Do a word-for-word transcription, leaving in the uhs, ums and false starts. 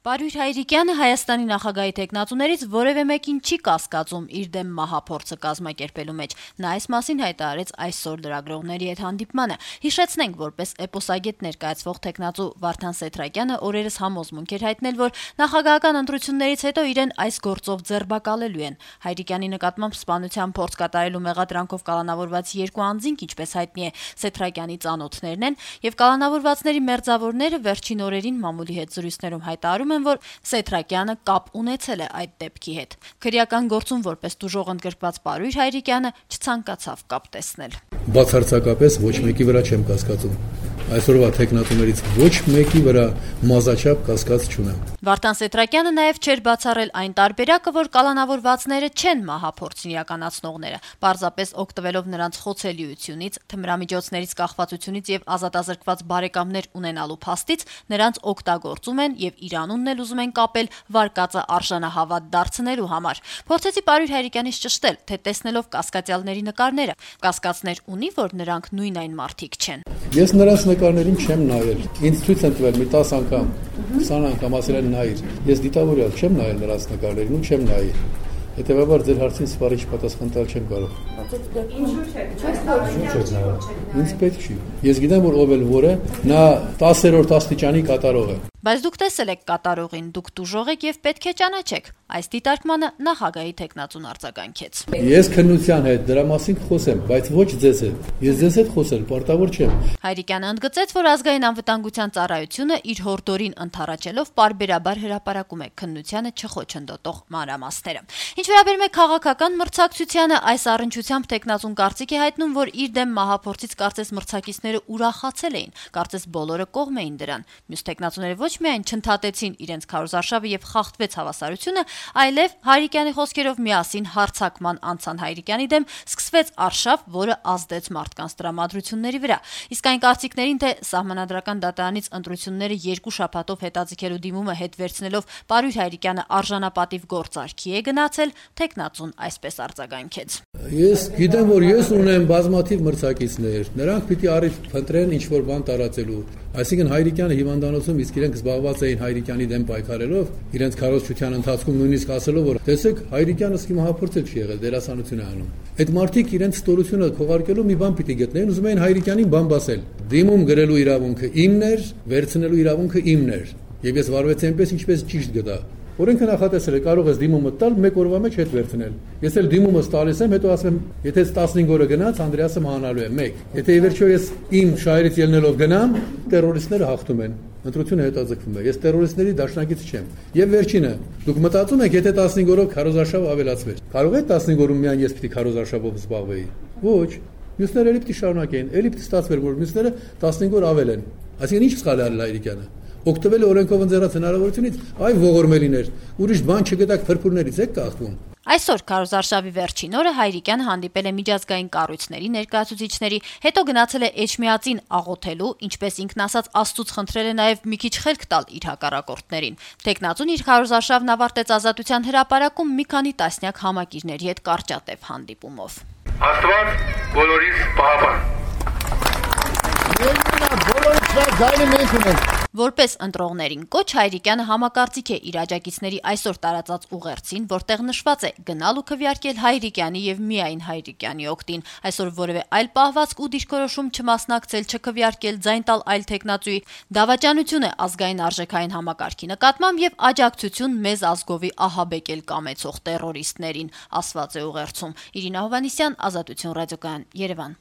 Պարույր Հայրիկյանը Հայաստանի նախագահի թեկնածուներից որևէ մեկին չի կասկածում իր դեմ մահափորձը կազմակերպելու մեջ: Նա այս մասին հայտարարեց այսօր լրագրողների հետ հանդիպմանը: Հիշեցնենք, որպես էպոսագետ ներկայացվող թեկնածու Վարդան Սեթրակյանը օրերս համոզմունք էր հայտնել, որ նախագահական ընտրություններից հետո իրեն այս գործով ձերբակալելու են: Հայրիկյանի նկատմամբ սպանության փորձ կատարելու մեղադրանքով կալանավորված երկու անձինք, ինչպես հայտնի է, Սեթրակյանի ծանոթներն են, եւ կալանավորվածների մերձավորները վերջին օրերին մամուլի հետ զրույցներում հայտարարում են, որ Սեթրակյանը կապ ունեցել է այդ դեպքի հետ: Քրեական գործում որպես տուժող ընդգրկված Պարույր Հայրիկյանը չցանկացավ կապ տեսնել: Բացարձակապես ոչ մեկի վրա չեմ կասկածում: Այսօրվա թեկնածուներից ոչ մեկի վրա մազաչափ կասկած չունեմ: Վարդան Սեթրակյանը նաեւ չէր բացառել այն տարբերակը, որ կալանավորվածները չեն մահափորձ իրականացնողները, պարզապես օգտվելով նրանց խոցելիությունից, թմրամիջոցներից կախվածությունից եւ ազատազրկված բարեկամներ ունենալու փաստից, նրանց օգտագործում են եւ իր անունն էլ ուզում են կապել վարկածը արժանահավատ դարձնելու համար: Փորձեցի Պարույր Հայրիկյանից ճշտել, թե տեսնելով կասկածյալների նկարները, կասկածներ ունի, որ նրանք նույն այն մարդիկ չեն: Ես նրանց նկարներին չեմ նայել: Ինձ ցույց են տվել մի տասը անգամ, քսան անգամ, ասել են նայիր: Ես դիտավորյալ չեմ նայել նրանց նկարներին ու չեմ նայի: Հետեւաբար ձեր հարցին սպառիչ պատասխան տալ չեմ կարող: Ինձ պետք չի: Ես գիտեմ, որ ով էլ որ է, նա տասերորդ աստիճանի կատարող է: Բայց դուք տեսել եք կատարողին, դուք տուժող եք եւ պետք է ճանաչեք: Այս դիտարկմանը նախագահի թեկնածուն արձագանքեց: Ես քննության հետ դրա մասին կխոսեմ, բայց ոչ ձեզ հետ: Ես ձեզ հետ խոսել պարտավոր չեմ: Հայրիկյանը ընդգծեց, որ Ազգային անվտանգության ծառայությունը իր հորդորին ընդառաջելով պարբերաբար հրապարակում է քննությանը չխոչընդոտող մանրամասները: Ինչ վերաբերում է քաղաքական մրցակցությանը, այս առնչությամբ թեկնածուն կարծիք է հայտնում, որ իր դեմ մահափորձից կարծես մրցակիցները ուրախացել էին, կարծես բոլորը կողմ էին դրան: Մյուս թեկնածուները ոչ միայն չընդհատեցին իրենց քարոզարշավը եւ խախտվեց հավասարությունը, այլեւ Հայրիկյանի խոսքերով միասին հարձակման անցան Հայրիկյանի դեմ, սկսվեց արշավ, որը ազդեց մարդկանց տրամադրությունների վրա: Իսկ այն կարծիքներին, թե Սահմանադրական դատարանից ընտրությունները երկու շաբաթով հետաձգելու դիմումը հետ վերցնելով Պարույր Հայրիկյանը արժանապատիվ գործարքի է գնացել, թեկնածուն այսպես արձագանքեց: Ես գիտեմ, որ ես ունեմ բազմաթիվ մրցակիցներ, նրանք պիտի առիթ փնտրեն ինչ-որ բան տարածելու: Այսինքն Հայրիկյանը հիվանդանոցում իսկ իրենք զբաղված էին Հայրիկյանի դեմ պայքարելով, իրենց քարոզչության ընթացքում նույնիսկ ասելով, որ տեսեք Հայրիկյանը սկի մահափորձել չի եղել, դերասանություն է անում: Այդ մարդիկ իրենց ստորությունը քողարկելու մի բան պիտի գտնեին, ուզում էին Հայրիկյանին բամբասել: Դիմում գրելու իրավունքը իմն էր, վերցնելու իրավունքը իմն էր: Եվ ես վարվեցի այնպես, ինչպես ճիշտ գտա: Օրենքը նախատեսել է, կարող ես դիմումը տալ, մեկ օրվա մեջ հետ վերցնել: Ես էլ դիմումս տալիս եմ, հետո ասում եմ, եթե տասնհինգ օրը գնաց, Անդրեասը մահանալու է: Մեկ: Եթե ի վերջո ես իմ շահերից ելնելով գնամ, տերորիստները հաղթում են: Ընտրությունը հետաձգվում է: Ես տերորիստների դաշնակից չեմ: Եվ վերջինը, դուք մտածում եք, եթե տասնհինգ օրով քարոզարշավը ավելացվեր, կարող է տասնհինգ օրում միայն ես պիտի քարոզարշավով զբաղվեի: Ոչ: Մյուսները էլի պիտի շարունակեին, էլի պիտի ստացվեր, որ մյուսները տասնհինգ օր ավել են: Այսինքն ինչ սխալ է արել Հայրիկյանը: Օգտվել է օրենքով ընձեռած հնարավորությունից, այ ողորմելիներ, ուրիշ բան չգտաք, փրփուրներից եք կախվում: Այսօր քարոզարշավի վերջին օրը Հայրիկյանը հանդիպել է միջազգային կառույցների ներկայացուցիչների, հետո գնացել է Էջմիածին աղոթելու, ինչպես ինքն ասաց, Աստծուց խնդրել է նաեւ մի քիչ խելք տալ իր հակառակորդներին: Թեկնածուն իր քարոզարշավն ավարտեց Ազատության հրապարակում մի քանի տասնյակ համակիրների հետ կարճատեւ հանդիպումով: Աստված բոլորիս պահապան: Որպես ընտրողներին կոչ, Հայրիկյանը համակարծիք է իր աջակիցների այսօր տարածած ուղերձին, որտեղ նշված է գնալ ու քվեարկել Հայրիկյանի եւ միայն Հայրիկյանի օգտին: Այսօր որևէ այլ պահվածք ու դիրքորոշում չմասնակցել, չքվեարկել, ձայն տալ այլ թեկնածուի դավաճանություն է ազգային արժեքային համակարգի նկատմամբ եւ աջակցություն մեզ ազգովի ահաբեկել կամեցող տերորիստներին, ասված է ուղերձում: Իրինա Հովհաննիսյան, Ազատություն ռադիոկայան, Երևան: